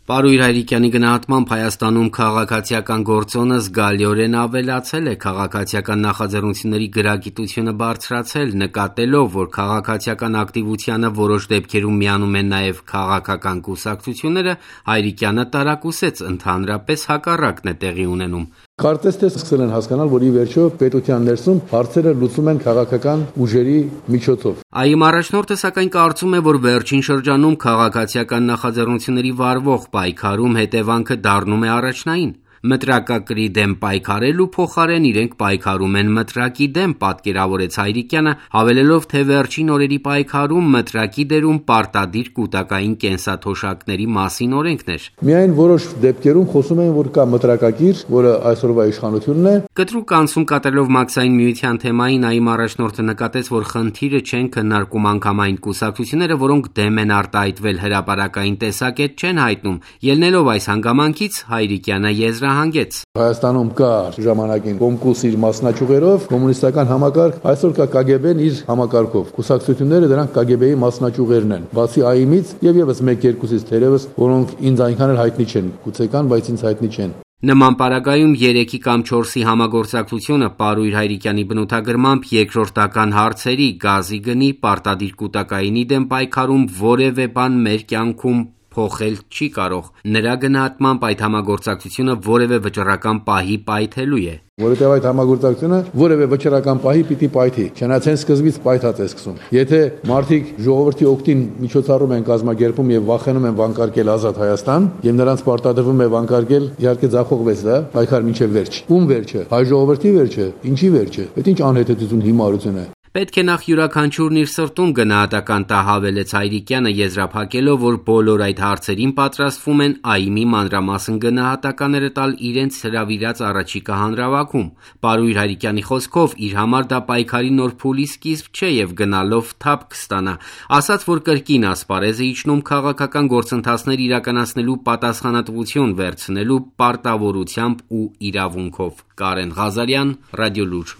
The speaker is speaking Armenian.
Պարույր Հայրիկյանի գնահատմամբ Հայաստանում քաղաքացիական գործոնը զգալիորեն ավելացել է, քաղաքացիական նախաձեռնությունների գրագիտությունը բարձրացել, նկատելով, որ քաղաքացիական ակտիվությանը որոշ դեպքերում միանում են նաև քաղաքական կուսակցությունները, Հայրիկյանը տարակուսեց, ընդհանրապես հակառակն է տեղի ունենում։ Կարծես թե սկսել են հասկանալ, որ ի վերջո պետության ներսում հարցերը լուծում են քաղաքական ուժերի միջոցով։ ԱԻ առաջնորդը սակայն կարծում է, որ վերջին շրջանում քաղաքացիական նախաձեռնությունների վարվող պայքարում հետևանքը դառնում է առաջնային։ Մտրակակրի դեմ պայքարելու փոխարեն իրենք պայքարում են մտրակի դեմ, պատկերավորեց Հայրիկյանը, հավելելով, թե վերջին օրերի պայքարում մտրակի դերում պարտադիր կուտակային կենսաթոշակների մասին օրենքն էր։ Միայն որոշ դեպքերում խոսում են, որ կա մտրակակիր, որը այսօրվա իշխանությունն է։ Կտրուկ անցում կատարելով Մաքսային միության թեմային ԱԻ առաջնորդը նկատեց, որ խնդիրը չեն քննարկում անգամ այն կուսակցությունները, որոնք դեմ են արտահայտվել հրապարակային տեսակետ չեն հայտնում։ Ելնելով այս հանգամանքից Հայրիկյանը եզրահանգեց. Հայաստանում կա ժամանակին Կոմկուս իր մասնաճյուղերով, կոմունիստական համակարգ, այսօր կա ԿԳԲ-ն իր համակարգով։ Կուսակցությունները դրանք ԿԳԲ-ի մասնաճյուղերն են։ Բացի ԱԻՄ-ից եւ եւս 1-2-ից թերևս, որոնք ինձ այնքան էլ հայտնի չեն, գուցե կան, բայց ինձ հայտնի չեն։ Նման պարագայում 3-ի կամ 4-ի համագործակցությունը Պարույր Հայրիկյանի բնութագրմամբ երկրորդական հարցերի, գազի գնի, պարտադիր կուտակայինի դեմ պայքարում որևէ բան մեր կյանքում փոխել չի կարող։ Նրա գնահատմամբ այդ համագործակցությունը որևէ վճռական պահի պայթելու է։ Որովհետև այդ համագործակցությունը որևէ վճռական պահի պիտի պայթի, չնայած սկզբից պայթած է սկսում։ Եթե մարդիկ ժողովրդի օգտին միջոցառում են կազմակերպում եւ վախենում են վանկարկել ազատ Հայաստան, եւ նրանց պարտադրվում է վանկարկել, իհարկե ձախողվեց դա, պայքար մինչեւ վերջ։ Ում վերջը։ Հայ ժողովրդի վերջը, ինչի վերջը։ Այդ ինչ անհետեցություն հիմարություն է։ Պետք է նախ յուրաքանչյուրն իր սրտում գնահատական տա, հավելեց Հայրիկյանը, եզրափակելով, որ բոլոր այդ հարցերին պատրաստվում են ԱԻՄ-ի մանրամասն գնահատականները տալ իրենց հրավիրած առաջիկա հանրավակում։ Պարույր Հայրիկյանի խոսքով իր համար դա պայքարի նոր փուլի սկիզբ չէ եւ գնալով թափ կստանա, ասաց, որ կրկին ասպարեզ է իջնում քաղաքական գործընթացներ իրականացնելու պատասխանատվություն վերցնելու պարտավորությամբ ու իրավունքով։ Կարեն Ղազարյան, Ռադիոլուր։